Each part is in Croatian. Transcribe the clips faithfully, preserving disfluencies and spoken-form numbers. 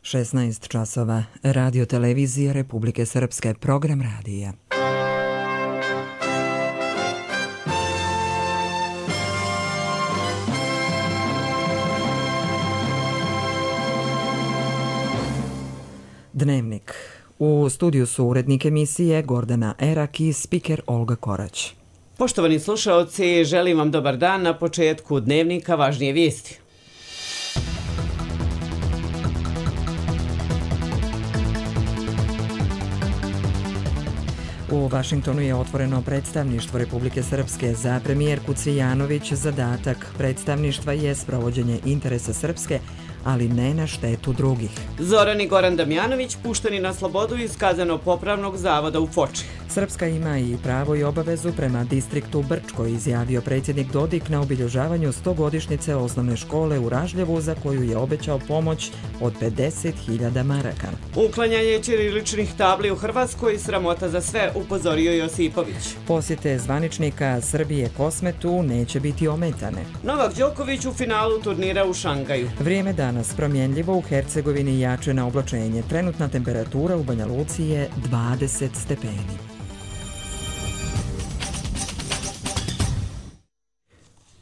šesnaest časova, Radio televizija Republike Srpske, program radija. Dnevnik. U studiju su urednik emisije Gordana Erak i spiker Olga Korać. Poštovani slušaoci, želim vam dobar dan. Na početku Dnevnika važnije vijesti. U Vašingtonu je otvoreno predstavništvo Republike Srpske. Za premijerku Cvijanović zadatak predstavništva je sprovođenje interesa Srpske, ali ne na štetu drugih. Zoran i Goran Damjanović pušteni na slobodu iz kazneno-popravnog zavoda u Foči. Srpska ima i pravo i obavezu prema distriktu Brčko, izjavio predsjednik Dodik na obilježavanju stogodišnjice osnovne škole u Ražljevu, za koju je obećao pomoć od pedeset hiljada maraka. Uklanjanje ćiriličnih tabli u Hrvatskoj sramota za sve, upozorio Josipović. Posjete zvaničnika Srbije Kosmetu neće biti ometane. Novak Đoković u finalu turnira u Šangaju. Vrijeme danas promjenljivo, u Hercegovini jače na oblačenje. Trenutna temperatura u Banja Luci je dvadeset stepeni.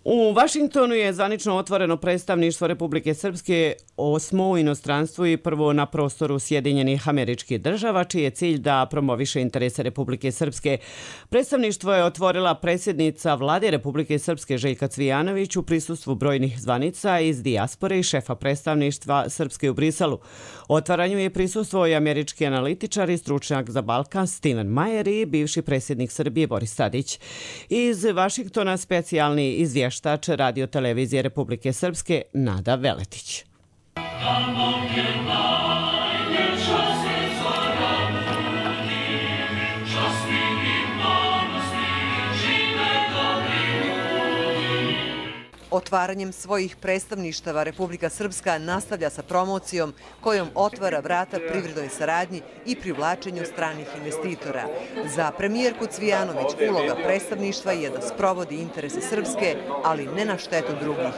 U Vašingtonu je zvanično otvoreno predstavništvo Republike Srpske, osmo u inostranstvu i prvo na prostoru Sjedinjenih Američkih Država, čiji je cilj da promoviše interese Republike Srpske. Predstavništvo je otvorila predsjednica Vlade Republike Srpske Željka Cvijanović u prisustvu brojnih zvanica iz dijaspore i šefa predstavništva Srpske u Briselu. Otvaranju je prisustvovao i američki analitičar i stručnjak za Balkan Steven Mayer i bivši predsjednik Srbije Boris Tadić. Iz Vašingtona specijalni izvještač Radio televizije Republike Srpske Nada Veletić. Otvaranjem svojih predstavništava Republika Srpska nastavlja sa promocijom kojom otvara vrata privrednoj saradnji i privlačenju stranih investitora. Za premijerku Cvijanović uloga predstavništva je da sprovodi interese Srpske, ali ne na štetu drugih.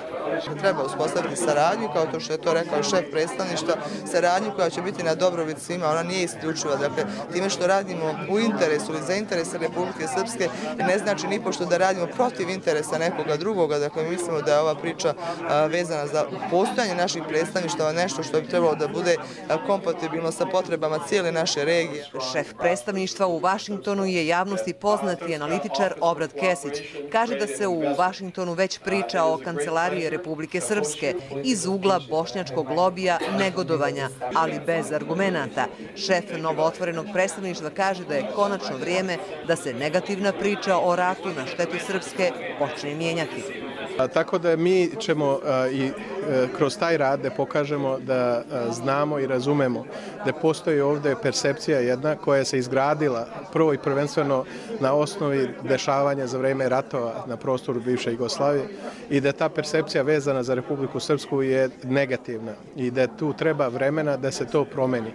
Treba uspostaviti saradnju, kao to što je to rekao šef predstavništva, saradnju koja će biti na dobrobit svima, ona nije isključiva. Dakle, time što radimo u interesu ili za interese Republike Srpske ne znači nipošto da radimo protiv interesa nekoga drugoga. Dakle, mislimo da je ova priča vezana za postojanje naših predstavništava nešto što bi trebalo da bude kompatibilno sa potrebama cijele naše regije. Šef predstavništva u Vašingtonu je javnosti poznati analitičar Obrad Kesić. Kaže da se u Vašingtonu već priča o kancelariji Republike Srpske iz ugla bošnjačkog lobija negodovanja, ali bez argumenata. Šef novootvorenog predstavništva kaže da je konačno vrijeme da se negativna priča o ratu na štetu Srpske počne mijenjati. Tako da mi ćemo i kroz taj rad da pokažemo da znamo i razumemo da postoji ovdje percepcija jedna koja se izgradila prvo i prvenstveno na osnovi dešavanja za vreme ratova na prostoru bivše Jugoslavije i da ta percepcija vezana za Republiku Srpsku je negativna i da tu treba vremena da se to promeni.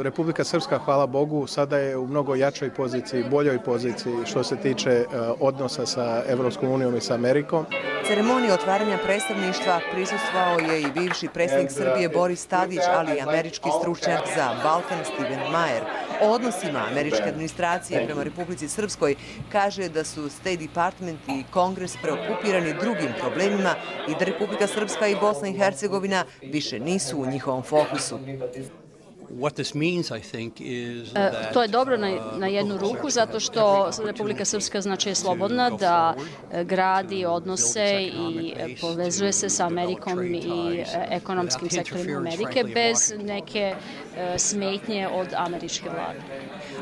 Republika Srpska, hvala Bogu, sada je u mnogo jačoj poziciji, boljoj poziciji što se tiče odnosa sa Evropskom unijom i sa Amerikom. Ceremoniji otvaranja predstavništva prisustvovao je i bivši predsjednik Srbije Boris Tadić, ali i američki stručnjak za Balkan Steven Mayer. O odnosima američke administracije prema Republici Srpskoj kaže da su State Department i Kongres preokupirani drugim problemima i da Republika Srpska i Bosna i Hercegovina više nisu u njihovom fokusu. To je dobro na jednu ruku, zato što Republika Srpska znači je slobodna da gradi odnose i povezuje se sa Amerikom i ekonomskim sektorima Amerike bez neke smetnje od američke vlade.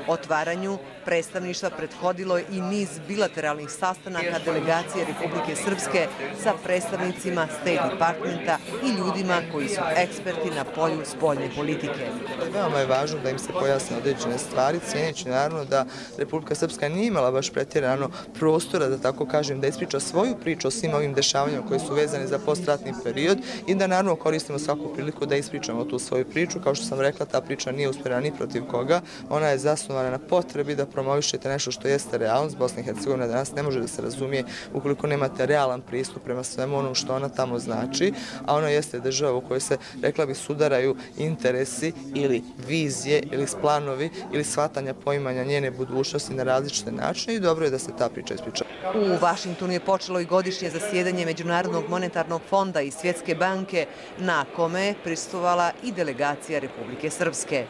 Otvaranju predstavništva prethodilo i niz bilateralnih sastanaka delegacije Republike Srpske sa predstavnicima State Departmenta i ljudima koji su eksperti na polju spoljne politike. Veoma je važno da im se pojasne određene stvari, cijeneći naravno da Republika Srpska nije imala baš pretjerano prostora, da tako kažem, da ispriča svoju priču o svim ovim dešavanjima koji su vezani za postratni period i da naravno koristimo svaku priliku da ispričamo tu svoju priču. Kao što sam rekla, ta priča nije usmjerena ni protiv koga, ona je zasnovana na potrebi da promovišete nešto što jeste realnost. Bosna i Hercegovina danas ne može da se razumije ukoliko nemate realan pristup prema svemu onom što ona tamo znači, a ona jeste država u kojoj se, rekla bi, sudaraju interesi ili vizije ili planovi ili shvatanja poimanja njene budućnosti na različite načine i dobro je da se ta priča ispriča. U Vašingtonu je počelo i godišnje zasjedanje Međunarodnog monetarnog fonda i Svjetske banke, na kome je prisustvovala i delegacija Republike Srpske.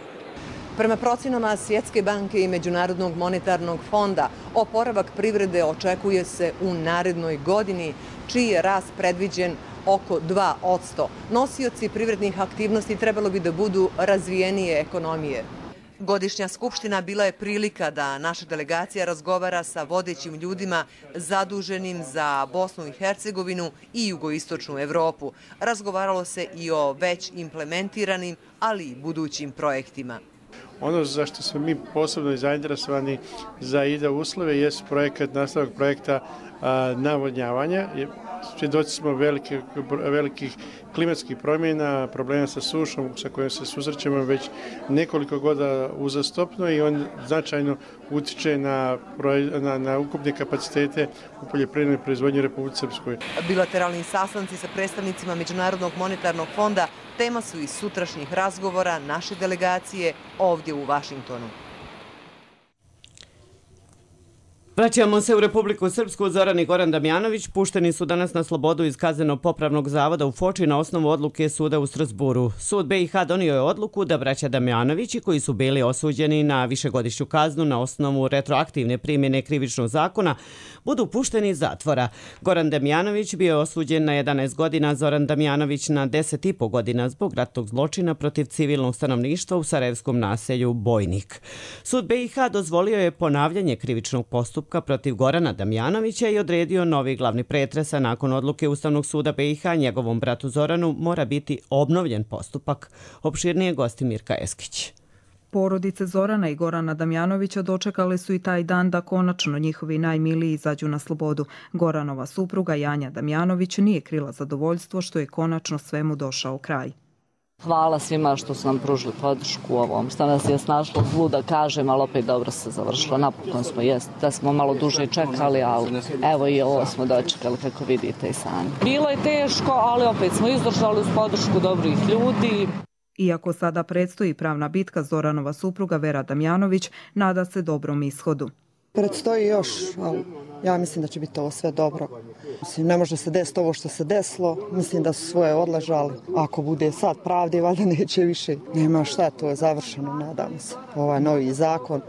Prema procenama Svjetske banke i Međunarodnog monetarnog fonda, oporavak privrede očekuje se u narednoj godini, čiji je rast predviđen oko dva posto. Nosioci privrednih aktivnosti trebalo bi da budu razvijenije ekonomije. Godišnja skupština bila je prilika da naša delegacija razgovara sa vodećim ljudima zaduženim za Bosnu i Hercegovinu i jugoistočnu Evropu. Razgovaralo se i o već implementiranim, ali i budućim projektima. Ono za što smo mi posebno zainteresovani za ide uslove je projekat, nastavak projekta a, navodnjavanja. Svjedoci smo velikih, velikih klimatskih promjena, problema sa sušom sa kojom se susrećemo već nekoliko godina uzastopno i on značajno utiče na, na, na ukupne kapacitete u poljoprivrednoj proizvodnji u Republici Srpskoj. Bilateralni sastanci sa predstavnicima Međunarodnog monetarnog fonda tema su i sutrašnjih razgovora naše delegacije ovdje u Vašingtonu. Vraćamo se u Republiku Srpsku. Zoran i Goran Damjanović pušteni su danas na slobodu iz kazneno-popravnog zavoda u Foči na osnovu odluke suda u Strasburu. Sud B i H donio je odluku da braća Damjanovići, koji su bili osuđeni na višegodišnju kaznu na osnovu retroaktivne primjene krivičnog zakona, budu pušteni iz zatvora. Goran Damjanović bio je osuđen na jedanaest godina, Zoran Damjanović na deset i po godina zbog ratnog zločina protiv civilnog stanovništva u sarajevskom naselju Bojnik. Sud B i H dozvolio je ponavljanje krivičnog postupka protiv Gorana Damjanovića i odredio novi glavni pretres, a nakon odluke Ustavnog suda B i H njegovom bratu Zoranu mora biti obnovljen postupak. Opširnije gosti Mirka Eskić. Porodice Zorana i Gorana Damjanovića dočekali su i taj dan da konačno njihovi najmiliji izađu na slobodu. Goranova supruga Janja Damjanović nije krila zadovoljstvo što je konačno svemu došao kraj. Hvala svima što su nam pružili podršku u ovom. Što nas je snašlo zlu da kažem, ali opet dobro se završilo. Napokon smo jest, da smo malo duže čekali, ali evo i ovo smo dočekali kako vidite i sami. Bilo je teško, ali opet smo izdržali uz podršku dobrih ljudi. Iako sada predstoji pravna bitka, Zoranova supruga Vera Damjanović nada se dobrom ishodu. Predstoji još, ali ja mislim da će biti ovo sve dobro. Mislim, ne može se desiti ovo što se desilo, mislim da su svoje odležali. Ako bude sad pravde, valjda neće više. Nema šta, to je završeno, nadam se. Ovaj novi zakon,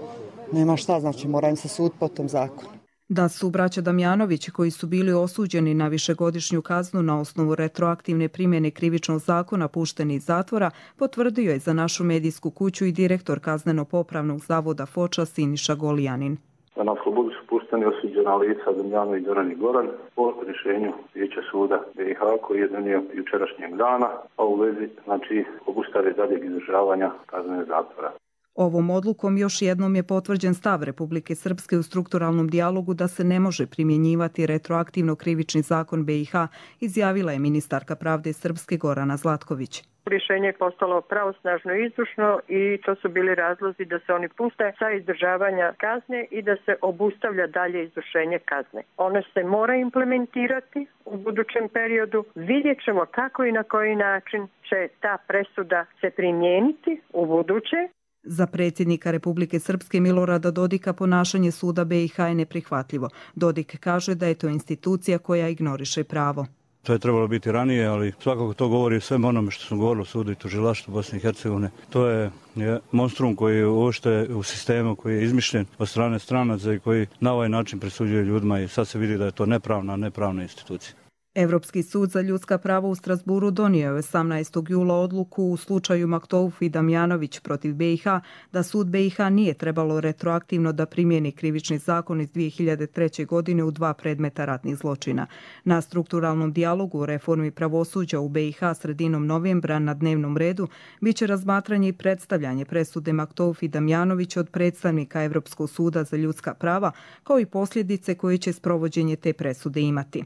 nema šta, znači mora im se sud po tom zakonu. Da su braća Damjanovići, koji su bili osuđeni na višegodišnju kaznu na osnovu retroaktivne primjene krivičnog zakona, pušteni iz zatvora, potvrdio je za našu medijsku kuću i direktor kazneno-popravnog zavoda Foča Siniša Golijanin. Na slobodu su pušteni osuđena lica Damjanović, Zoran i Goran po rješenju Vijeća suda B i H koji je donio jučerašnjeg dana, a u vezi znači obustave daljeg izdržavanja kazne zatvora. Ovom odlukom još jednom je potvrđen stav Republike Srpske u strukturalnom dijalogu da se ne može primjenjivati retroaktivno krivični zakon B i H, izjavila je ministarka pravde Srpske Gorana Zlatković. Rješenje je postalo pravosnažno i izvršno i to su bili razlozi da se oni puste sa izdržavanja kazne i da se obustavlja dalje izvršenje kazne. Ono se mora implementirati u budućem periodu. Vidjet ćemo kako i na koji način će ta presuda se primijeniti u buduće. Za predsjednika Republike Srpske Milorada Dodika ponašanje suda B i H je neprihvatljivo. Dodik kaže da je to institucija koja ignoriše pravo. To je trebalo biti ranije, ali svakako to govori sve onome što smo govorili o sudu i tužilaštvu Bosne i Hercegovine. To je, je monstrum koji je uopšte u sistemu koji je izmišljen od strane stranaca i koji na ovaj način presuđuje ljudima i sad se vidi da je to nepravna, nepravna institucija. Evropski sud za ljudska prava u Strasburu donio je osamnaestog jula odluku u slučaju Maktouf i Damjanović protiv B i H da sud B i H nije trebalo retroaktivno da primjeni krivični zakon iz dvije hiljade treće. godine u dva predmeta ratnih zločina. Na strukturalnom dijalogu o reformi pravosuđa u B i H sredinom novembra na dnevnom redu biće razmatranje i predstavljanje presude Maktouf i Damjanović od predstavnika Evropskog suda za ljudska prava, kao i posljedice koje će sprovođenje te presude imati.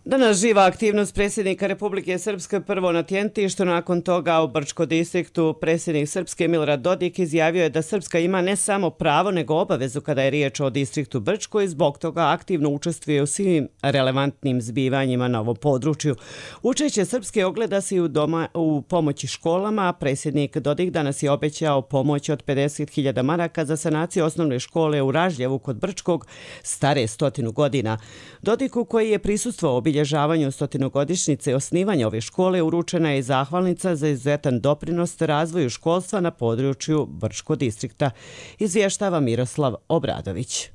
Danas živa aktivnost predsjednika Republike Srpske prvo na Tjentištu, nakon toga u Brčko distriktu. Predsjednik Srpske Milorad Dodik izjavio je da Srpska ima ne samo pravo nego obavezu kada je riječ o distriktu Brčko i zbog toga aktivno učestvuje u svim relevantnim zbivanjima na ovom području. Učešće Srpske ogleda se i u, doma, u pomoći školama. Predsjednik Dodik danas je obećao pomoć od pedeset hiljada maraka za sanaciju osnovne škole u Ražljevu kod Brčkog, stare stotinu godina. Dodiku, koji je prisustvovao obilježavanju stotinogodišnjice osnivanja ove škole, uručena je zahvalnica za izuzetan doprinos razvoju školstva na području Brčko distrikta, izvještava Miroslav Obradović.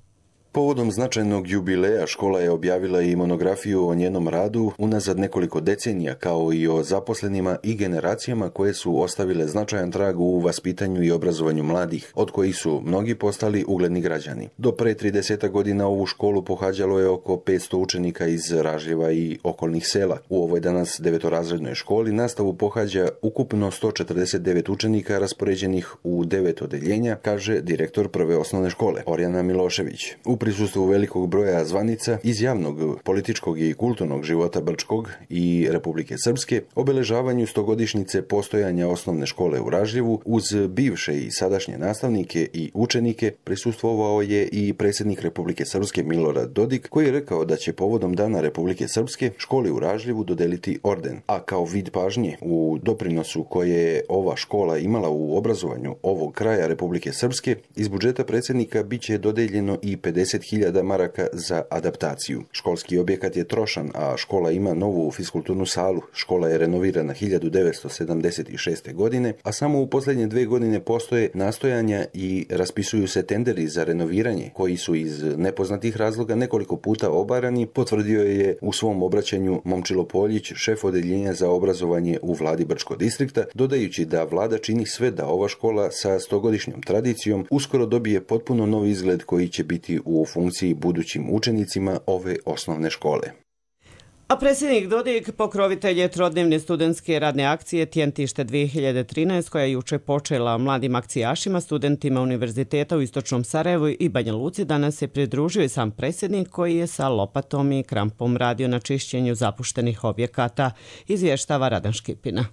Povodom značajnog jubileja škola je objavila i monografiju o njenom radu unazad nekoliko decenija, kao i o zaposlenima i generacijama koje su ostavile značajan trag u vaspitanju i obrazovanju mladih, od kojih su mnogi postali ugledni građani. Do pre trideset godina ovu školu pohađalo je oko petsto učenika iz Ražljeva i okolnih sela. U ovoj danas devetorazrednoj školi nastavu pohađa ukupno sto četrdeset devet učenika raspoređenih u devet odeljenja, kaže direktor prve osnovne škole, Orjana Milošević. U prisustvu velikog broja zvanica iz javnog, političkog i kulturnog života Brčkog i Republike Srpske, obeležavanju stogodišnjice postojanja osnovne škole u Ražljevu, uz bivše i sadašnje nastavnike i učenike, prisustvovao je i predsjednik Republike Srpske Milorad Dodik, koji je rekao da će povodom Dana Republike Srpske školi u Ražljevu dodeliti orden, a kao vid pažnje u doprinosu koje je ova škola imala u obrazovanju ovog kraja Republike Srpske, iz budžeta predsjednika biće dodeljeno i pedeset hiljada maraka za adaptaciju. Školski objekat je trošan, a škola ima novu fiskulturnu salu. Škola je renovirana hiljadu devetsto sedamdeset šeste. godine, a samo u posljednje dve godine postoje nastojanja i raspisuju se tenderi za renoviranje, koji su iz nepoznatih razloga nekoliko puta obarani, potvrdio je u svom obraćanju Momčilo Poljić, šef odeljenja za obrazovanje u vladi Brčko distrikta, dodajući da vlada čini sve da ova škola sa stogodišnjom tradicijom uskoro dobije potpuno novi izgled koji će biti u funkciji budućim učenicima ove osnovne škole. A predsjednik Dodik pokrovitelj je trodnevne studentske radne akcije Tjentište dvije hiljade trinaest, koja je juče počela mladim akcijašima, studentima univerziteta u Istočnom Sarajevu i Banja Luci. Danas se pridružio i sam predsjednik, koji je sa lopatom i krampom radio na čišćenju zapuštenih objekata, izvještava Radan Škipina.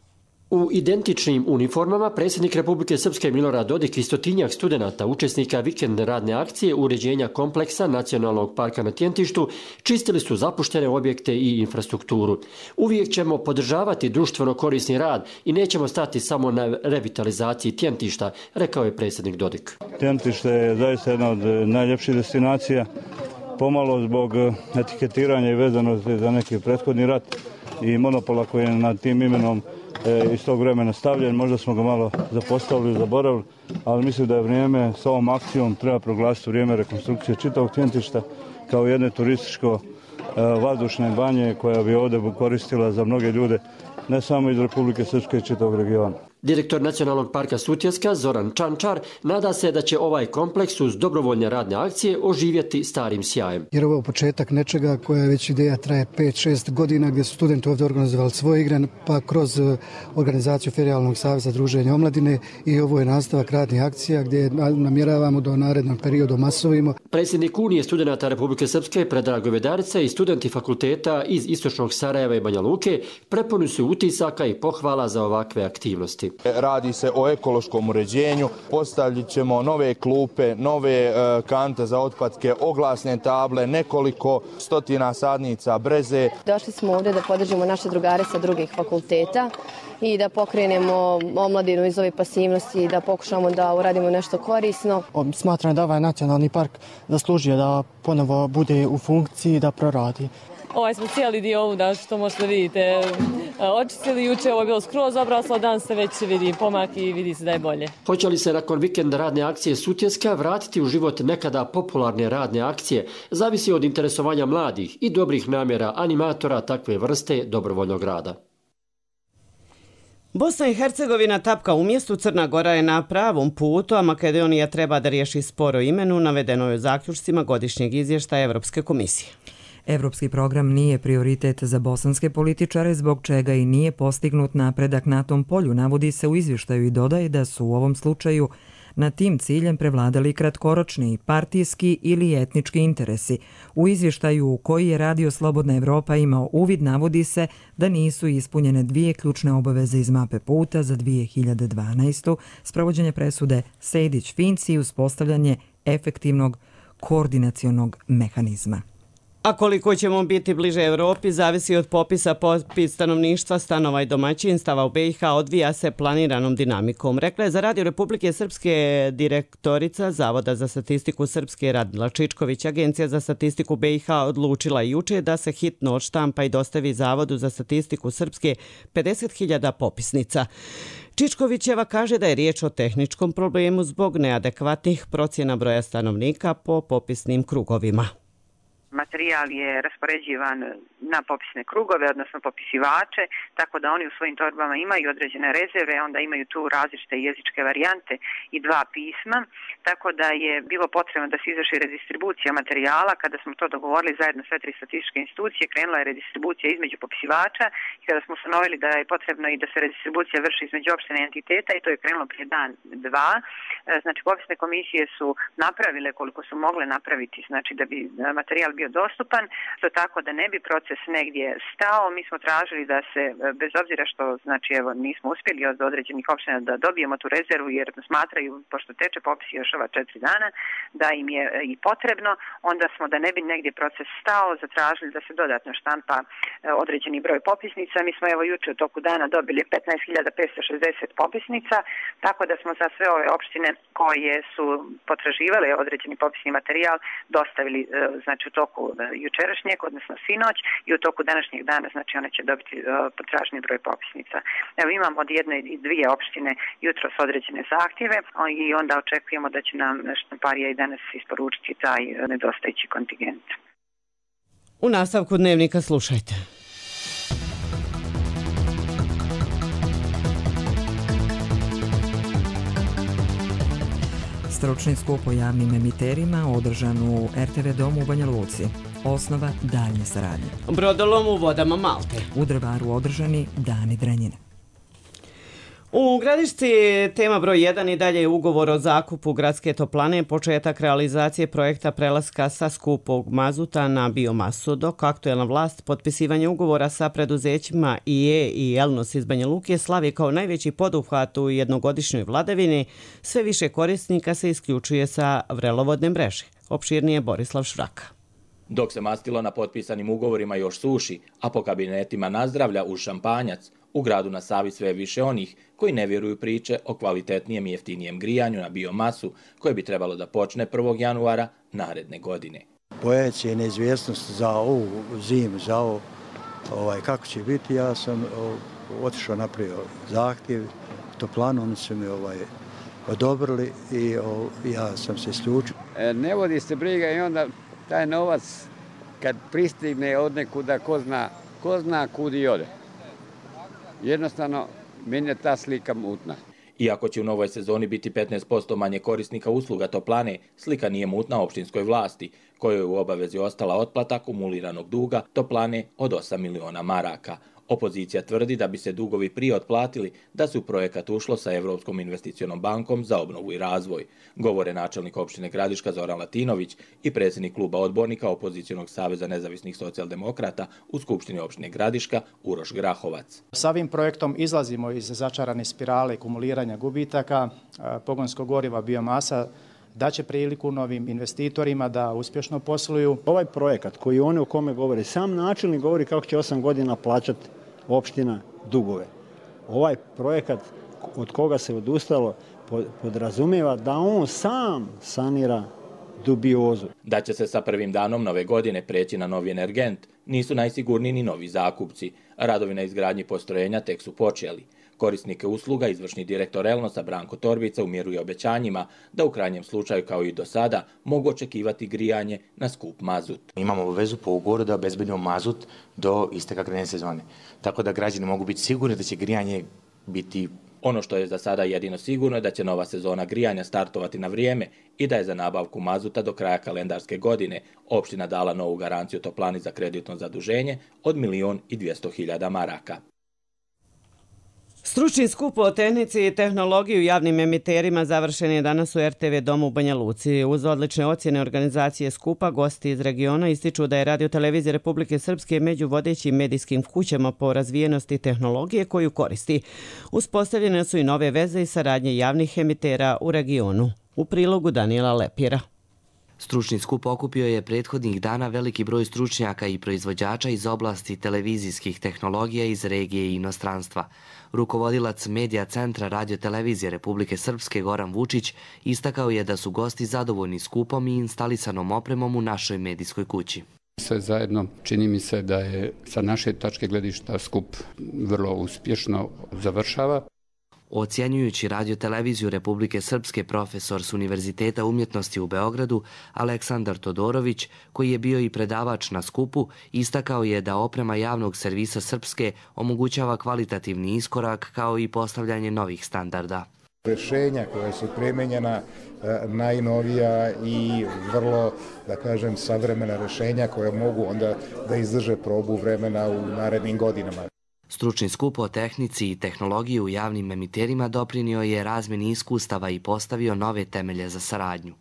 U identičnim uniformama predsjednik Republike Srpske Milorad Dodik i stotinjak studenata, učesnika vikendne radne akcije uređenja kompleksa Nacionalnog parka na Tjentištu, čistili su zapuštene objekte i infrastrukturu. Uvijek ćemo podržavati društveno korisni rad i nećemo stati samo na revitalizaciji Tjentišta, rekao je predsjednik Dodik. Tjentište je zaista jedna od najljepših destinacija, pomalo zbog etiketiranja i vezanosti za neki prethodni rat i monopola koji je nad tim imenom iz tog vremena stavljen. Možda smo ga malo zapostavili, zaboravili, ali mislim da je vrijeme s ovom akcijom treba proglasiti vrijeme rekonstrukcije čitavog Tjentišta kao jedne turističko vazdušne banje koja bi ovdje koristila za mnoge ljude, ne samo iz Republike Srpske i čitavog regiona. Direktor Nacionalnog parka Sutjeska Zoran Čančar nada se da će ovaj kompleks uz dobrovoljne radne akcije oživjeti starim sjajem. Jer ovo je početak nečega koja je već ideja traje pet šest godina, gdje su studenti ovdje organizovali svoje igre, pa kroz organizaciju Ferijalnog saveza druženja omladine, i ovo je nastavak radnih akcija gdje namjeravamo do narednog periodu masovimo. Predsjednik Unije studenata Republike Srpske Predrag Govedarica i studenti fakulteta iz Istočnog Sarajeva i Banja Luke prepuni su utisaka i pohvala za ovakve aktivnosti. Radi se o ekološkom uređenju, postavit ćemo nove klupe, nove kante za otpadke, oglasne table, nekoliko stotina sadnica breze. Došli smo ovdje da podržimo naše drugare sa drugih fakulteta i da pokrenemo omladinu iz ove pasivnosti i da pokušamo da uradimo nešto korisno. Smatram da ovaj nacionalni park zaslužuje da ponovo bude u funkciji, da proradi. Ovaj smo cijeli dio ovuda, što možete vidite, očistili juče, ovo je bilo skroz obraslo, danas se već vidi pomak i vidi se da je bolje. Hoće li se nakon vikenda radne akcije Sutjeska vratiti u život nekada popularne radne akcije, zavisi od interesovanja mladih i dobrih namjera animatora takve vrste dobrovoljnog rada. Bosna i Hercegovina tapka u mjestu, Crna Gora je na pravom putu, a Makedonija treba da riješi spor o imenu, navedeno je u zaključcima godišnjeg izvještaja Evropske komisije. Evropski program nije prioritet za bosanske političare, zbog čega i nije postignut napredak na tom polju, navodi se u izvještaju i dodaje da su u ovom slučaju na tim ciljem prevladali kratkoročni, partijski ili etnički interesi. U izvještaju u koji je Radio Slobodna Evropa imao uvid navodi se da nisu ispunjene dvije ključne obaveze iz mape puta za dvije hiljade dvanaestu. Sprovođenje presude Sejdić-Finci i uspostavljanje efektivnog koordinacionog mehanizma. A koliko ćemo biti bliže Evropi zavisi od popisa. Popis stanovništva, stanova i domaćinstava u be i ha odvija se planiranom dinamikom. Rekla je za Radio Republike Srpske direktorica Zavoda za statistiku Srpske Radmila Čičković. Agencija za statistiku be i ha odlučila juče da se hitno odštampa i dostavi Zavodu za statistiku Srpske pedeset hiljada popisnica. Čičkovićeva kaže da je riječ o tehničkom problemu zbog neadekvatnih procjena broja stanovnika po popisnim krugovima. Materijal je raspoređivan na popisne krugove, odnosno popisivače, tako da oni u svojim torbama imaju određene rezerve, onda imaju tu različite jezičke varijante i dva pisma, tako da je bilo potrebno da se izvrši redistribucija materijala. Kada smo to dogovorili zajedno sve tri statističke institucije, krenula je redistribucija između popisivača i kada smo ustanovili da je potrebno i da se redistribucija vrši između opštine entiteta, i to je krenulo prije dan, dva. Znači, popisne komisije su napravile koliko su mogle napraviti, znači da bi materijal bio dostupan, to tako da ne bi proces negdje stao. Mi smo tražili da se, bez obzira što znači evo nismo uspjeli od određenih opština da dobijemo tu rezervu, jer smatraju, pošto teče popis još ova četiri dana, da im je i potrebno, onda smo, da ne bi negdje proces stao, zatražili da se dodatno štampa određeni broj popisnica. Mi smo evo juče u toku dana dobili petnaest hiljada petsto šezdeset popisnica, tako da smo za sve ove opštine koje su potraživale određeni popisni materijal dostavili znači u toku jučerašnjeg, odnosno sinoć, i u toku današnjeg dana, znači one će dobiti uh, potraženi broj popisnica. Evo imamo od jedne i dvije opštine jutros određene zahtjeve i onda očekujemo da će nam štamparija i danas isporučiti taj nedostajući kontingent. U nastavku dnevnika slušajte. Stručni skup o javnim emiterima održan u er te ve domu u Banja Luci. Osnova daljnje saradnje. Brodolom u vodama Malte. U Drvaru održani dani Drenjine. U Gradišci tema broj jedan i dalje je ugovor o zakupu gradske toplane, početak realizacije projekta prelaska sa skupog mazuta na biomasu, dok aktuelna vlast potpisivanje ugovora sa preduzećima i e i Elnos iz Banja Luke slavi kao najveći poduhvat u jednogodišnjoj vladavini. Sve više korisnika se isključuje sa vrelovodne mreže. Opširnije Borislav Švraka. Dok se mastilo na potpisanim ugovorima još suši, a po kabinetima nazdravlja uz šampanjac, u gradu na Savi sve više onih koji ne vjeruju priče o kvalitetnijem i jeftinijem grijanju na biomasu koje bi trebalo da počne prvog januara naredne godine. Bojajući je neizvjesnost za ovu zimu, za ovo ovaj, kako će biti, ja sam o, otišao napravio zahtjev, toplanu, oni su mi ovaj, odobrili i o, ja sam se isključio. E, ne vodi se briga i onda taj novac kad pristigne od nekuda, ko zna, ko zna kud i ode. Jednostavno, meni je ta slika mutna. Iako će u novoj sezoni biti petnaest posto manje korisnika usluga toplane, slika nije mutna opštinskoj vlasti, kojoj je u obavezi ostala otplata kumuliranog duga toplane od osam miliona maraka. Opozicija tvrdi da bi se dugovi prije otplatili da se u projekat ušlo sa Evropskom investicionom bankom za obnovu i razvoj. Govore načelnik opštine Gradiška Zoran Latinović i predsjednik kluba odbornika Opozicionog saveza nezavisnih socijaldemokrata u Skupštini opštine Gradiška Uroš Grahovac. Sa ovim projektom izlazimo iz začarane spirale kumuliranja gubitaka, pogonskog goriva, biomasa, daće priliku novim investitorima da uspješno posluju. Ovaj projekat koji oni o kome govore, sam načelnik govori kako će osam godina plaćati opština dugove. Ovaj projekat od koga se odustalo podrazumijeva da on sam sanira dubiozu. Da će se sa prvim danom nove godine preći na novi energent, nisu najsigurniji ni novi zakupci. Radovi na izgradnji postrojenja tek su počeli. Korisnike usluga izvršni direktor Elnosa Branko Torbica umjeruje obećanjima da u krajnjem slučaju kao i do sada mogu očekivati grijanje na skup mazut. Imamo obavezu po ugovoru da obezbedimo mazut do isteka grejne sezone. Tako da građani mogu biti sigurni da će grijanje biti... Ono što je za sada jedino sigurno je da će nova sezona grijanja startovati na vrijeme i da je za nabavku mazuta do kraja kalendarske godine opština dala novu garanciju toplani za kreditno zaduženje od milion i dvjesto hiljada maraka. Stručni skup o tehnici i tehnologiji u javnim emiterima završen je danas u er te ve domu u Banja Luci. Uz odlične ocjene organizacije skupa, gosti iz regiona ističu da je Radio-televizija Republike Srpske među vodećim medijskim kućama po razvijenosti tehnologije koju koristi. Uspostavljene su i nove veze i saradnje javnih emitera u regionu. U prilogu Daniela Lepira. Stručni skup okupio je prethodnih dana veliki broj stručnjaka i proizvođača iz oblasti televizijskih tehnologija iz regije i inostranstva. Rukovodilac Medija centra Radio-televizije Republike Srpske Goran Vučić istakao je da su gosti zadovoljni skupom i instalisanom opremom u našoj medijskoj kući. Sve zajedno čini mi se da je sa naše tačke gledišta skup vrlo uspješno završava. Ocjenjujući Radio-televiziju Republike Srpske, profesor s Univerziteta umjetnosti u Beogradu, Aleksandar Todorović, koji je bio i predavač na skupu, istakao je da oprema javnog servisa Srpske omogućava kvalitativni iskorak kao i postavljanje novih standarda. Rešenja koja su primenjena, najnovija i vrlo, da kažem, savremena rešenja koja mogu onda da izdrže probu vremena u narednim godinama. Stručni skup o tehnici i tehnologiji u javnim emiterima doprinio je razmjeni iskustava i postavio nove temelje za saradnju.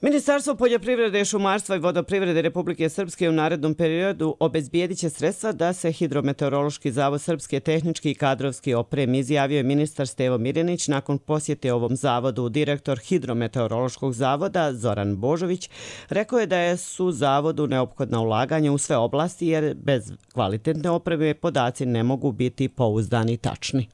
Ministarstvo poljoprivrede, šumarstva i vodoprivrede Republike Srpske u narednom periodu obezbijedit će sredstva da se Hidrometeorološki zavod Srpske tehnički i kadrovski opremi, izjavio je ministar Stevo Mirjanić nakon posjete ovom zavodu. Direktor Hidrometeorološkog zavoda Zoran Božović rekao je da su zavodu neophodna ulaganja u sve oblasti jer bez kvalitetne opreme podaci ne mogu biti pouzdani i tačni.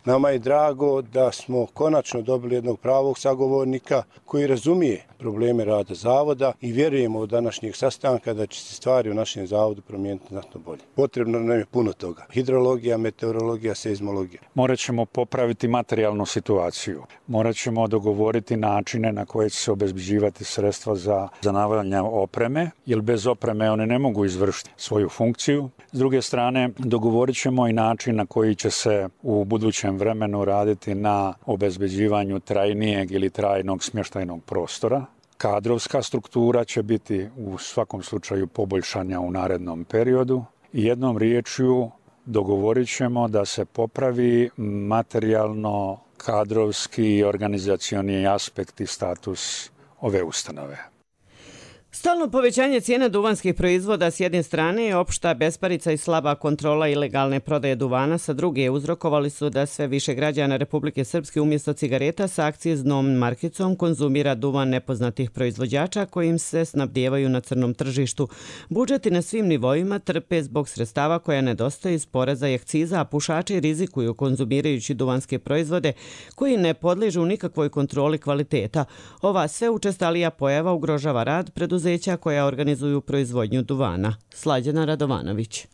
Nama je drago da smo konačno dobili jednog pravog sagovornika koji razumije probleme rada zavoda i vjerujemo od današnjeg sastanka da će se stvari u našem zavodu promijeniti znatno bolje. Potrebno nam je puno toga. Hidrologija, meteorologija, seizmologija. Morat ćemo popraviti materijalnu situaciju. Morat ćemo dogovoriti načine na koje će se obezbeđivati sredstva za, za nabavljanje opreme, jer bez opreme one ne mogu izvršiti svoju funkciju. S druge strane, dogovorit ćemo i način na koji će se u budućem vremenu raditi na obezbeđivanju trajnijeg ili trajnog smještajnog prostora. Kadrovska struktura će biti u svakom slučaju poboljšanja u narednom periodu. I jednom riječju dogovorit ćemo da se popravi materijalno, kadrovski i organizacioni aspekt i status ove ustanove. Stalno povećanje cijena duvanskih proizvoda s jedne strane i opšta besparica i slaba kontrola ilegalne prodaje duvana sa druge uzrokovali su da sve više građana Republike Srpske umjesto cigareta sa akciznom markicom konzumira duvan nepoznatih proizvođača kojim se snabdijevaju na crnom tržištu. Budžeti na svim nivoima trpe zbog sredstava koja nedostaju iz poreza i akciza, a pušači rizikuju konzumirajući duvanske proizvode koji ne podliježu nikakvoj kontroli kvaliteta. Ova sve učestalija pojava ugrožava rad preduzeća koja organizuju proizvodnju duvana. Slađana Radovanović.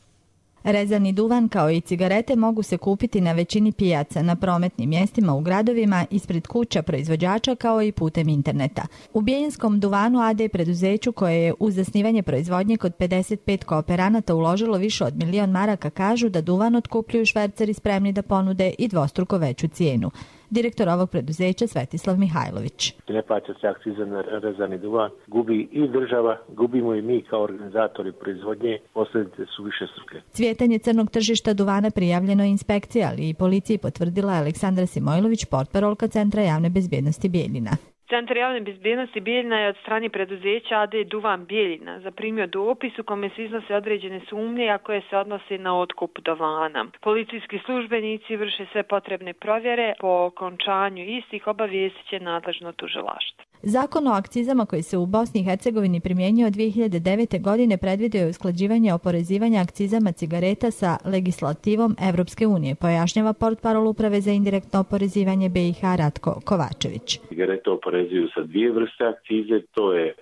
Rezani duvan kao i cigarete mogu se kupiti na većini pijaca, na prometnim mjestima u gradovima, ispred kuća proizvođača kao i putem interneta. U Bijeljinskom duvanu A D preduzeću koje je uz zasnivanje proizvodnje kod pedeset pet kooperanata uložilo više od milion maraka kažu da duvan otkupljuju šverceri spremni da ponude i dvostruko veću cijenu. Direktor ovog preduzeća Svetislav Mihajlović. Ne plaća se akciza na rezani duvan, gubi i država, gubimo i mi kao organizatori proizvodnje, posljedice su više struke. Cvjetanje crnog tržišta duvana prijavljeno je inspekcija, ali i policiji potvrdila Aleksandra Simojlović, portparolka Centra javne bezbjednosti Bijeljina. Centar javne bezbjednosti Bijeljina je od strane preduzeća A D Duvan Bijeljina zaprimio dopis u kome se iznose određene sumnje, a koje se odnose na otkup duvana. Policijski službenici vrše sve potrebne provjere, po okončanju istih obavijestit će nadležno tužilaštvo. Zakon o akcizama koji se u Bosni i Hercegovini primjenjuje od dvije hiljade devete. godine predvidio je usklađivanje oporezivanja akcizama cigareta sa legislativom Evropske unije, pojašnjava portparol Uprave za indirektno oporezivanje B i H Ratko Kovačević. Cigarete oporezuju sa dvije vrste akcize, to je e,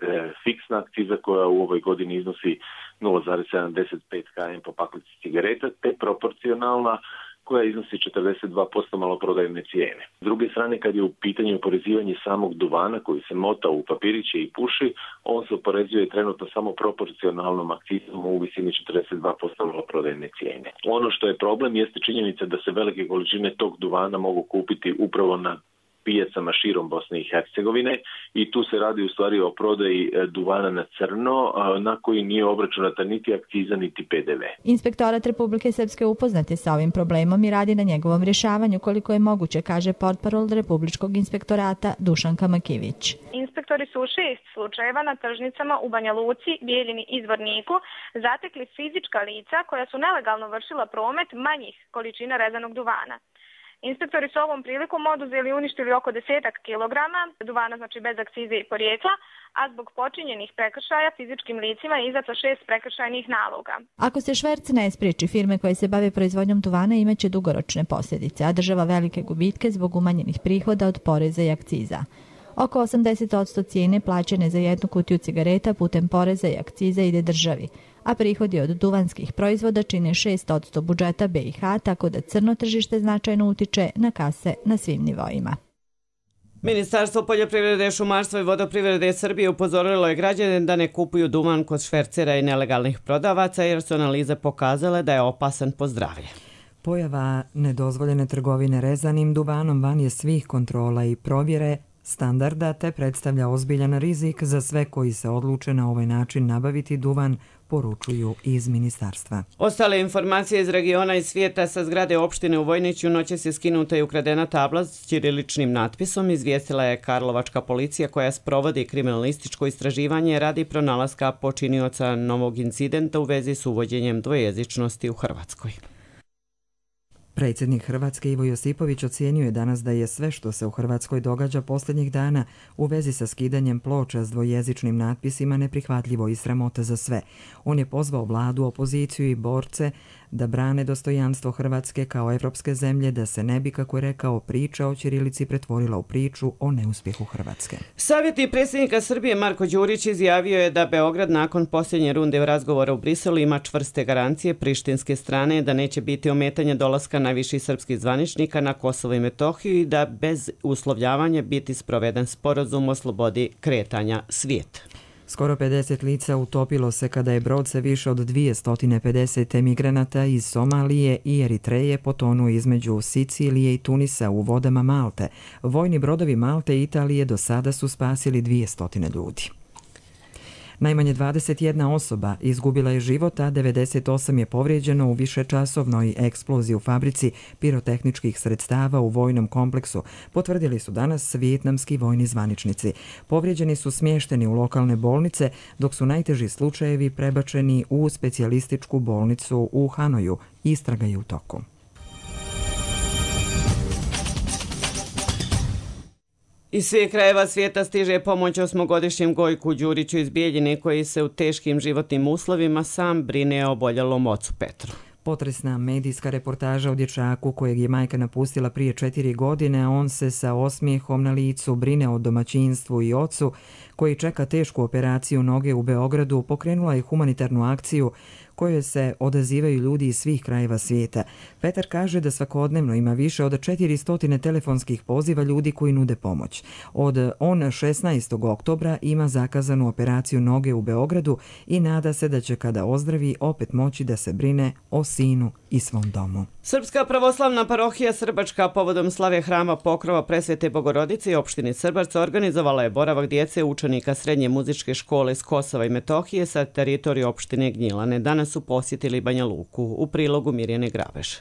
fiksna akciza koja u ovoj godini iznosi nula zarez sedamdeset pet km po paklici cigareta, te proporcionalna koja iznosi četrdeset dva posto maloprodajne cijene. S druge strane, kad je u pitanju oporezivanje samog duvana koji se mota u papiriće i puši, on se oporezuje trenutno samo proporcionalnom akcizom u visini četrdeset dva posto maloprodajne cijene. Ono što je problem jeste činjenica da se velike količine tog duvana mogu kupiti upravo na pijacama širom Bosne i Hercegovine i tu se radi u stvari o prodaji duvana na crno na koji nije obračunata niti akciza niti P D V. Inspektorat Republike Srpske upoznat je sa ovim problemom i radi na njegovom rješavanju koliko je moguće, kaže portparol Republičkog inspektorata Dušanka Makivić. Inspektori su u šest slučajeva na tržnicama u Banja Luci, Bijeljini i Zvorniku zatekli fizička lica koja su nelegalno vršila promet manjih količina rezanog duvana. Inspektori su ovom prilikom oduzeli i uništili oko desetak kilograma duvana, znači bez akcize i porijekla, a zbog počinjenih prekršaja fizičkim licima je izdato šest prekršajnih naloga. Ako se šverc ne spriječi, firme koje se bave proizvodnjom duvana imaće dugoročne posljedice, a država velike gubitke zbog umanjenih prihoda od poreza i akciza. Oko osamdeset posto cijene plaćene za jednu kutiju cigareta putem poreza i akciza ide državi, a prihodi od duvanskih proizvoda čine šest posto budžeta B i H, tako da crno tržište značajno utiče na kase na svim nivoima. Ministarstvo poljoprivrede, šumarstva i vodoprivrede Srbije upozorilo je građane da ne kupuju duvan kod švercera i nelegalnih prodavaca jer su analize pokazale da je opasan po zdravlje. Pojava nedozvoljene trgovine rezanim duvanom van je svih kontrola i provjere standarda te predstavlja ozbiljan rizik za sve koji se odluče na ovaj način nabaviti duvan, poručuju iz ministarstva. Ostale informacije iz regiona i svijeta: sa zgrade opštine u Vojniću noćas je skinuta i ukradena tabla s ćiriličnim natpisom, izvijestila je karlovačka policija koja sprovodi kriminalističko istraživanje radi pronalaska počinioca novog incidenta u vezi s uvođenjem dvojezičnosti u Hrvatskoj. Predsjednik Hrvatske Ivo Josipović ocijenio je danas da je sve što se u Hrvatskoj događa posljednjih dana u vezi sa skidanjem ploča s dvojezičnim natpisima neprihvatljivo i sramota za sve. On je pozvao vladu, opoziciju i borce da brane dostojanstvo Hrvatske kao evropske zemlje, da se ne bi, kako je rekao, priča o ćirilici pretvorila u priču o neuspjehu Hrvatske. Savjetnik predsjednika Srbije Marko Đurić izjavio je da Beograd nakon posljednje runde razgovora u Briselu ima čvrste garancije prištinske strane da neće biti ometanja dolaska najviših srpskih zvaničnika na Kosovo i Metohiju i da bez uslovljavanja biti sproveden sporazum o slobodi kretanja svijeta. Skoro pedeset lica utopilo se kada je brod sa više od dvjesto pedeset emigranata iz Somalije i Eritreje potonuo između Sicilije i Tunisa u vodama Malte. Vojni brodovi Malte i Italije do sada su spasili dvjesto ljudi. Najmanje dvadeset jedna osoba izgubila je život, a devedeset osam je povrijeđeno u višečasovnoj eksploziji u fabrici pirotehničkih sredstava u vojnom kompleksu, potvrdili su danas vijetnamski vojni zvaničnici. Povrijeđeni su smješteni u lokalne bolnice, dok su najteži slučajevi prebačeni u specijalističku bolnicu u Hanoju. Istraga je u toku. Iz svih krajeva svijeta stiže pomoć osmogodišnjem Gojku Đuriću iz Bijeljine koji se u teškim životnim uslovima sam brine o oboljelom ocu Petru. Potresna medijska reportaža o dječaku kojeg je majka napustila prije četiri godine, a on se sa osmijehom na licu brine o domaćinstvu i ocu koji čeka tešku operaciju noge u Beogradu, pokrenula je humanitarnu akciju kojoj se odazivaju ljudi iz svih krajeva svijeta. Petar kaže da svakodnevno ima više od četiristo telefonskih poziva ljudi koji nude pomoć. Od on šesnaestog oktobra ima zakazanu operaciju noge u Beogradu i nada se da će kada ozdravi opet moći da se brine o sinu i svom domu. Srpska pravoslavna parohija Srbačka povodom slave hrama Pokrova Presvete Bogorodice i opštini Srbac organizovala je boravak djece učenika srednje muzičke škole s Kosova i Metohije sa teritorije opštine Gnjilane. Danas su posjetili Banja Luku. U prilogu Mirjane Grabež.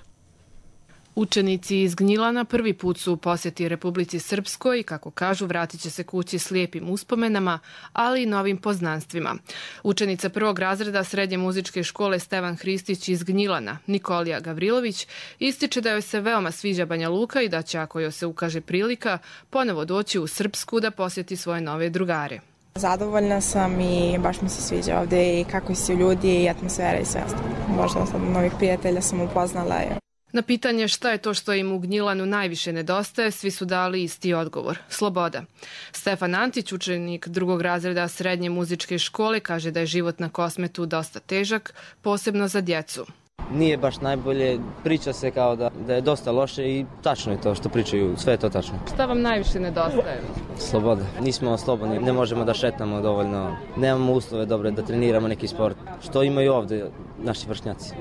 Učenici iz Gnjilana prvi put su u posjeti Republici Srpskoj i, kako kažu, vratit će se kući s lijepim uspomenama, ali i novim poznanstvima. Učenica prvog razreda srednje muzičke škole Stevan Hristić iz Gnjilana, Nikolija Gavrilović, ističe da joj se veoma sviđa Banja Luka i da će, ako joj se ukaže prilika, ponovo doći u Srpsku da posjeti svoje nove drugare. Zadovoljna sam i baš mi se sviđa ovdje i kako su ljudi i atmosfera i sve ostalo. Možda sam novih prijatelja sam upoznala. Na pitanje šta je to što im u Gnjilanu najviše nedostaje, svi su dali isti odgovor – sloboda. Stefan Antić, učenik drugog razreda srednje muzičke škole, kaže da je život na Kosmetu dosta težak, posebno za djecu. Nije baš najbolje, priča se kao da, da je dosta loše i tačno je to što pričaju, sve je to tačno. Šta vam najviše nedostaje? Sloboda. Nismo slobodni, ne možemo da šetamo dovoljno, nemamo uslove dobre da treniramo neki sport, što imaju ovdje naši vršnjaci.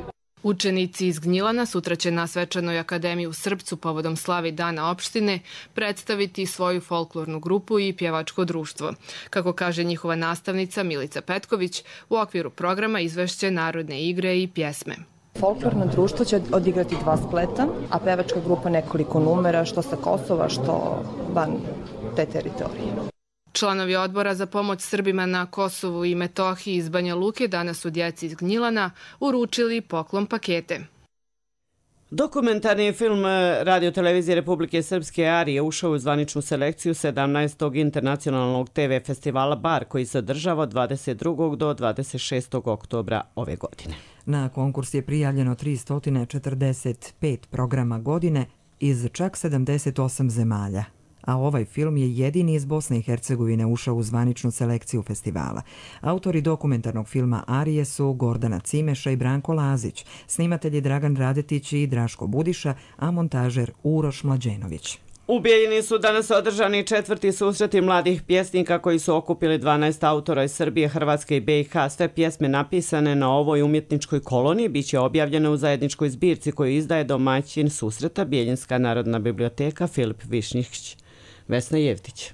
Učenici iz Gnjilana sutra će na Svečanoj akademiji u Srpcu povodom slavi Dana opštine predstaviti svoju folklornu grupu i pjevačko društvo. Kako kaže njihova nastavnica Milica Petković, u okviru programa izvešće narodne igre i pjesme. Folklorno društvo će odigrati dva spleta, a pevačka grupa nekoliko numera, što sa Kosova, što van te teritorije. Članovi odbora za pomoć Srbima na Kosovu i Metohiji iz Banja Luke danas su djeci iz Gnjilana uručili poklon pakete. Dokumentarni film Radio-televizije Republike Srpske Arije ušao u zvaničnu selekciju sedamnaestog internacionalnog te ve festivala Bar, koji se održava od dvadeset drugog do dvadeset šestog oktobra ove godine. Na konkurs je prijavljeno tristo četrdeset pet programa godine iz čak sedamdeset osam zemalja, a ovaj film je jedini iz Bosne i Hercegovine ušao u zvaničnu selekciju festivala. Autori dokumentarnog filma Arije su Gordana Cimeša i Branko Lazić, snimatelji Dragan Radetić i Draško Budiša, a montažer Uroš Mlađenović. U Bijeljini su danas održani četvrti susreti mladih pjesnika koji su okupili dvanaest autora iz Srbije, Hrvatske i be i ha. Sve pjesme napisane na ovoj umjetničkoj koloniji biće objavljene u zajedničkoj zbirci koju izdaje domaćin susreta Bijeljinska narodna biblioteka Filip Višnjić. Vesna Jevtić.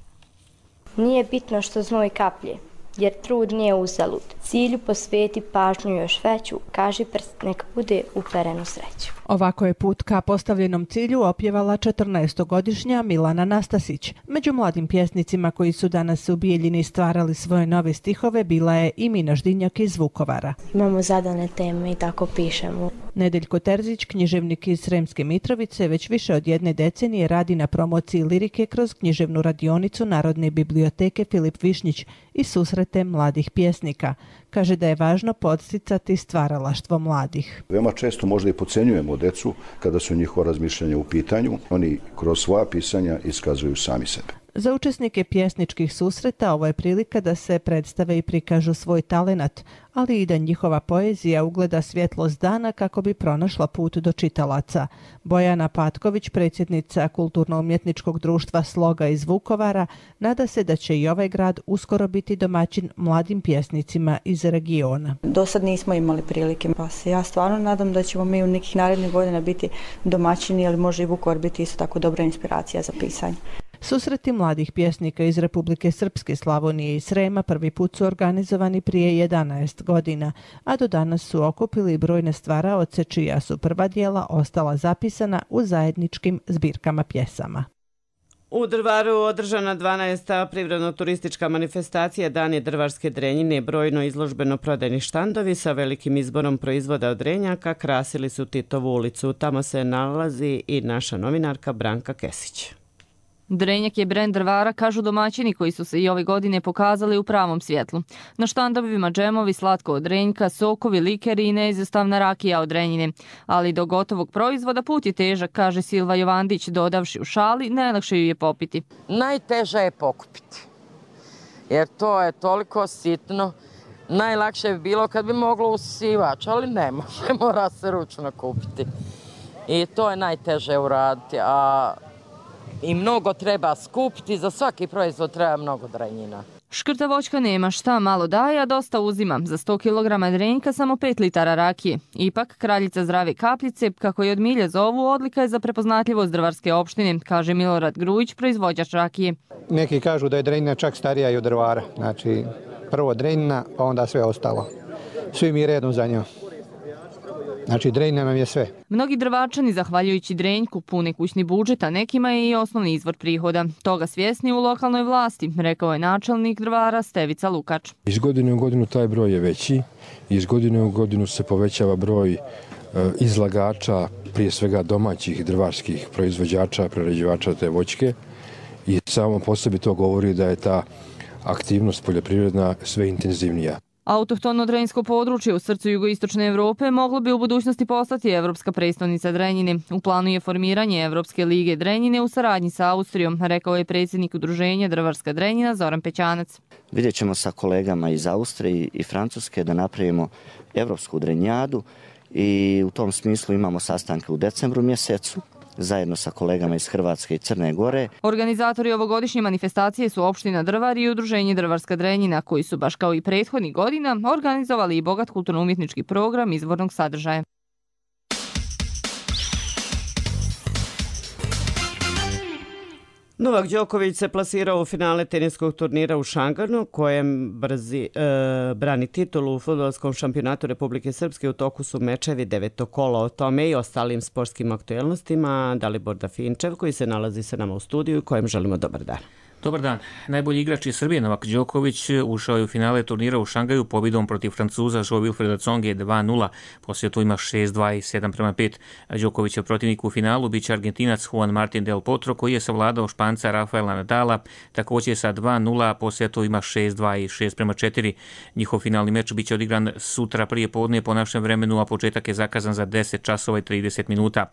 Nije bitno što znoj kaplje, jer trud nije uzalud. Cilju posveti pažnju još veću, kaži prst nek bude uperen u sreću. Ovako je put ka postavljenom cilju opjevala četrnaestogodišnja Milana Nastasić. Među mladim pjesnicima koji su danas u Bijeljini stvarali svoje nove stihove bila je i Mina Ždinjak iz Vukovara. Imamo zadane teme i tako pišemo. Nedeljko Terzić, književnik iz Sremske Mitrovice, već više od jedne decenije radi na promociji lirike kroz književnu radionicu Narodne biblioteke Filip Višnjić i susrete mladih pjesnika. Kaže da je važno podsticati stvaralaštvo mladih. Veoma često možda i podcenjujemo decu kada su njihova razmišljanja u pitanju. Oni kroz svoja pisanja iskazuju sami sebe. Za učesnike pjesničkih susreta ovo je prilika da se predstave i prikažu svoj talenat, ali i da njihova poezija ugleda svjetlost dana kako bi pronašla put do čitalaca. Bojana Patković, predsjednica Kulturno-umjetničkog društva Sloga iz Vukovara, nada se da će i ovaj grad uskoro biti domaćin mladim pjesnicima iz regiona. Do sad nismo imali prilike, pa se ja stvarno nadam da ćemo mi u nekih narednih godina biti domaćini, ali može i Vukovar biti isto tako dobra inspiracija za pisanje. Susreti mladih pjesnika iz Republike Srpske, Slavonije i Srema prvi put su organizovani prije jedanaest godina, a do danas su okupili brojne stvaraoce čija su prva dijela ostala zapisana u zajedničkim zbirkama pjesama. U Drvaru održana dvanaesta privredno-turistička manifestacija Dani drvarske drenjine, brojno izložbeno prodajni štandovi sa velikim izborom proizvoda od drenjaka krasili su Titovu ulicu. Tamo se nalazi i naša novinarka Branka Kesić. Drenjak je brend Drvara, kažu domaćini koji su se i ove godine pokazali u pravom svjetlu. Na štandovima džemovi, slatko od drenjka, sokovi, likeri i neizostavna rakija od drenjine. Ali do gotovog proizvoda put je težak, kaže Silva Jovandić, dodavši u šali, najlakše ju je popiti. Najteže je pokupiti, jer to je toliko sitno. Najlakše bi bilo kad bi moglo usisivač, ali ne može, mora se ručno kupiti. I to je najteže uraditi, a i mnogo treba skupiti, za svaki proizvod treba mnogo drenjina. Škrta voćka nema šta, malo daje, a dosta uzima. Za sto kilograma drenjka samo pet litara rakije. Ipak, kraljica zdrave kapljice, kako je od milje zovu, odlika je za prepoznatljivost drvarske opštine, kaže Milorad Grujić, proizvođač rakije. Neki kažu da je drenjina čak starija i od Drvara. Znači, prvo drenjina, pa onda sve ostalo. Svi mi redom za njom. Znači, drenjina nam je sve. Mnogi drvačani, zahvaljujući drenjku, pune kućni budžet, a nekima je i osnovni izvor prihoda. Toga svjesni u lokalnoj vlasti, rekao je načelnik Drvara Stevica Lukač. Iz godine u godinu taj broj je veći, iz godine u godinu se povećava broj e, izlagača, prije svega domaćih drvarskih proizvođača, prerađivača te voćke, i samo po sebi to govori da je ta aktivnost poljoprivredna sve intenzivnija. Autohtono drenjsko područje u srcu jugoistočne Evrope moglo bi u budućnosti postati Evropska prestolnica drenjine. U planu je formiranje Evropske lige drenjine u saradnji sa Austrijom, rekao je predsjednik udruženja Drvarska drenjina Zoran Pećanac. Vidjet ćemo sa kolegama iz Austrije i Francuske da napravimo Evropsku drenjadu i u tom smislu imamo sastanke u decembru mjesecu zajedno sa kolegama iz Hrvatske i Crne Gore. Organizatori ovogodišnje manifestacije su opština Drvar i udruženje Drvarska drenjina, koji su baš kao i prethodnih godina organizovali i bogat kulturno-umjetnički program izvornog sadržaja. Novak Đoković se plasirao u finale teniskog turnira u Šanganu, kojem brzi, e, brani titulu u fudbalskom šampionatu Republike Srpske. U toku su mečevi devetog kola. O tome i ostalim sportskim aktuelnostima Dalibor Dafinčev, koji se nalazi sa nama u studiju i kojem želimo dobar dan. Dobar dan. Najbolji igrač iz Srbije Novak Đoković ušao je u finale turnira u Šangaju pobjedom protiv Francuza Joao-Wilfreda Tsonge dva nula. Poslije to ima šest dva i sedam prema pet. Đokovićev protivnik u finalu biće Argentinac Juan Martín del Potro, koji je savladao Španca Rafaela Nadala, također sa dva nula, poslije to ima šest dva i šest prema četiri. Njihov finalni meč biće odigran sutra prije podne po našem vremenu, a početak je zakazan za deset časova i trideset minuta.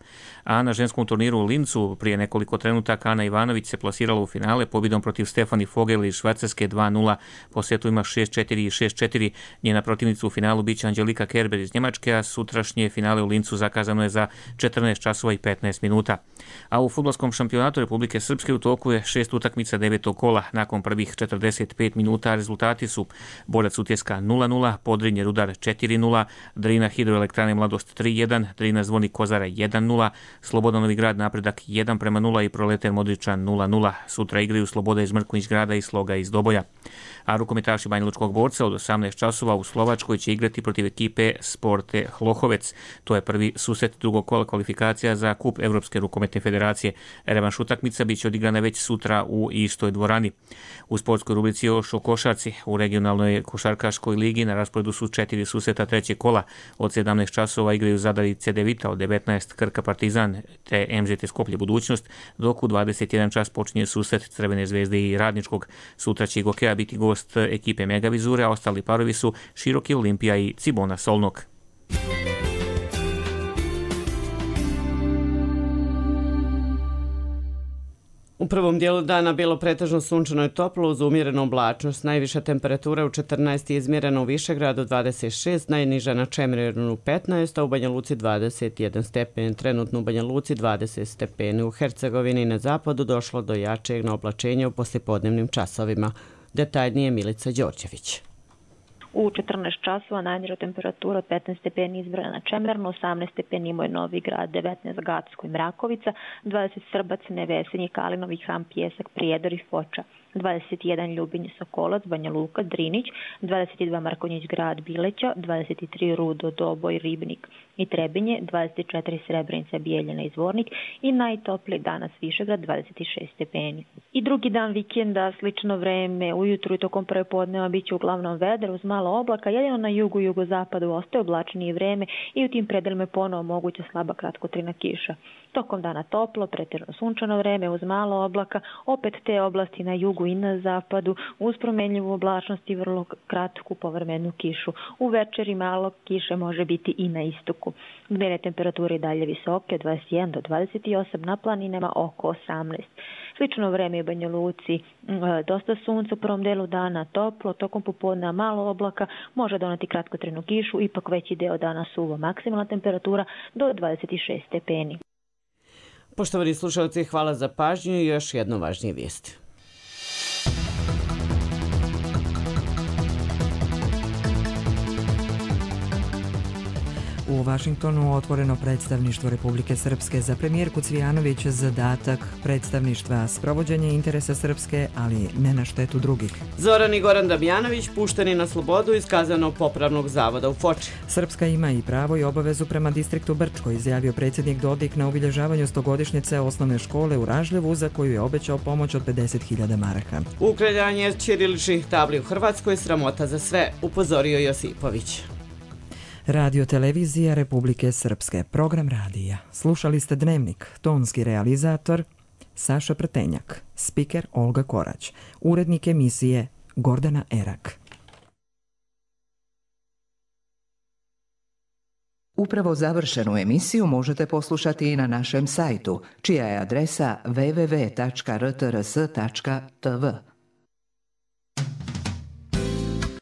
A na ženskom turniru u Lincu prije nekoliko trenutaka Ana Ivanović se plasirala u finale pobjedom protiv Stefani Fogel iz Švajcarske dva nula, po setu ima šest četiri i šest četiri. Njena protivnica u finalu biće Angelika Kerber iz Njemačke, a sutrašnje finale u Lincu zakazano je za četrnaest časova i petnaest minuta. A u fudbalskom šampionatu Republike Srpske u toku je šest utakmica devetog kola. Nakon prvih četrdeset pet minuta rezultati su Borac Utjeska nula nula, Podrinje Rudar četiri nula, Drina Hidroelektrane Mladost tri jedan, Drina Zvornik Kozara jedan nula, Slobodan Novi Grad Napredak jedan prema nula i Proletar Modriča nula nula. Sutra igraju Sloboda iz Mrkonjić Grada i Sloga iz Doboja. A rukometaši Banjalučkog Borca od osamnaest časova u Slovačkoj će igrati protiv ekipe Sporte Hlohovec. To je prvi susret drugog kola kvalifikacija za kup Evropske rukometne federacije. Revanš utakmica biće odigrana već sutra u istoj dvorani. U sportskoj rubrici još o košarci. U regionalnoj košarkaškoj ligi na rasporedu su četiri susreta trećeg kola. Od sedamnaest časova igraju Zadar i Cedevita, od devetnaest Krka Partizan te M Z T Skoplje Budućnost, dok u dvadeset jedan čas počinje susret Crvene zvezde i Radničkog. Sutra će Gokeja biti gost ekipe Megavizure, a ostali parovi su Široki Olimpija i Cibona Solnog. U prvom dijelu dana bilo pretežno sunčano i toplo uz umjerenu oblačnost. Najviša temperatura u četrnaest je izmjerena u Višegradu dvadeset šest, najniža na Čemirnu petnaest, a u Banja Luci dvadeset jedan stepen. Trenutno u Banja Luci dvadeset stepeni. U Hercegovini na zapadu došlo do jačeg oblačenja u poslijepodnevnim časovima. Detaljnije Milica Đorđević. U četrnaest časova najniža temperatura od petnaest stepeni izbrana na Čemernu, osamnaest stepeni imao je Novi Grad, devetnaest Gacko i Mrakovica, dvadeset Srbac, Nevesenje, Kalinovi, Ham, Pjesak, Prijedor i Foča, dvadeset jedan Ljubinje, Sokolac, Banja Luka, Drinić, dvadeset dva Markonjić Grad, Bileća, dvadeset tri Rudo, Doboj, Ribnik i Trebinje, dvadeset četiri Srebrenica, Bijeljina i Zvornik i najtopliji danas Višegrad, dvadeset šest stepeni. I drugi dan vikenda, slično vreme, ujutru i tokom prve podneva bit će uglavnom vedro uz malo oblaka, jedino na jugu i jugozapadu ostaje oblačnije vreme i u tim predelima je ponovo moguća slaba kratkotrajna kiša. Tokom dana toplo, pretežno sunčano vreme uz malo oblaka, opet te oblasti na jugu i na zapadu uz promenljivu oblačnost i vrlo kratku povremenu kišu. U večeri malo kiše može biti i na istoku. Dnevne temperature i dalje visoke od dvadeset jedan do dvadeset osam, na planinama oko osamnaest. Slično vreme u Banja Luci, dosta sunca u prvom delu dana, toplo, tokom popodne malo oblaka, može doneti kratkotrajnu kišu, ipak veći deo dana suvo, maksimalna temperatura do dvadeset šest stepeni. Poštovani slušalci, hvala za pažnju i još jedno važnije vijesti. U Vašingtonu otvoreno predstavništvo Republike Srpske. Za premijerku Cvijanović zadatak predstavništva sprovođenje interesa Srpske, ali ne na štetu drugih. Zoran i Goran Damjanović pušteni na slobodu iz kaznenog popravnog zavoda u Foči. Srpska ima i pravo i obavezu prema distriktu Brčko, izjavio predsjednik Dodik na obilježavanju stogodišnjice osnovne škole u Ražljevu, za koju je obećao pomoć od pedeset hiljada maraka. Uklanjanje ćiriličnih tabli u Hrvatskoj sramota za sve, upozorio Josipović. Radio televizija Republike Srpske, program radija. Slušali ste Dnevnik, tonski realizator Saša Prtenjak, spiker Olga Korać, urednik emisije Gordana Erak. Upravo završenu emisiju možete poslušati i na našem sajtu, čija je adresa w w w tačka r t r s tačka t v.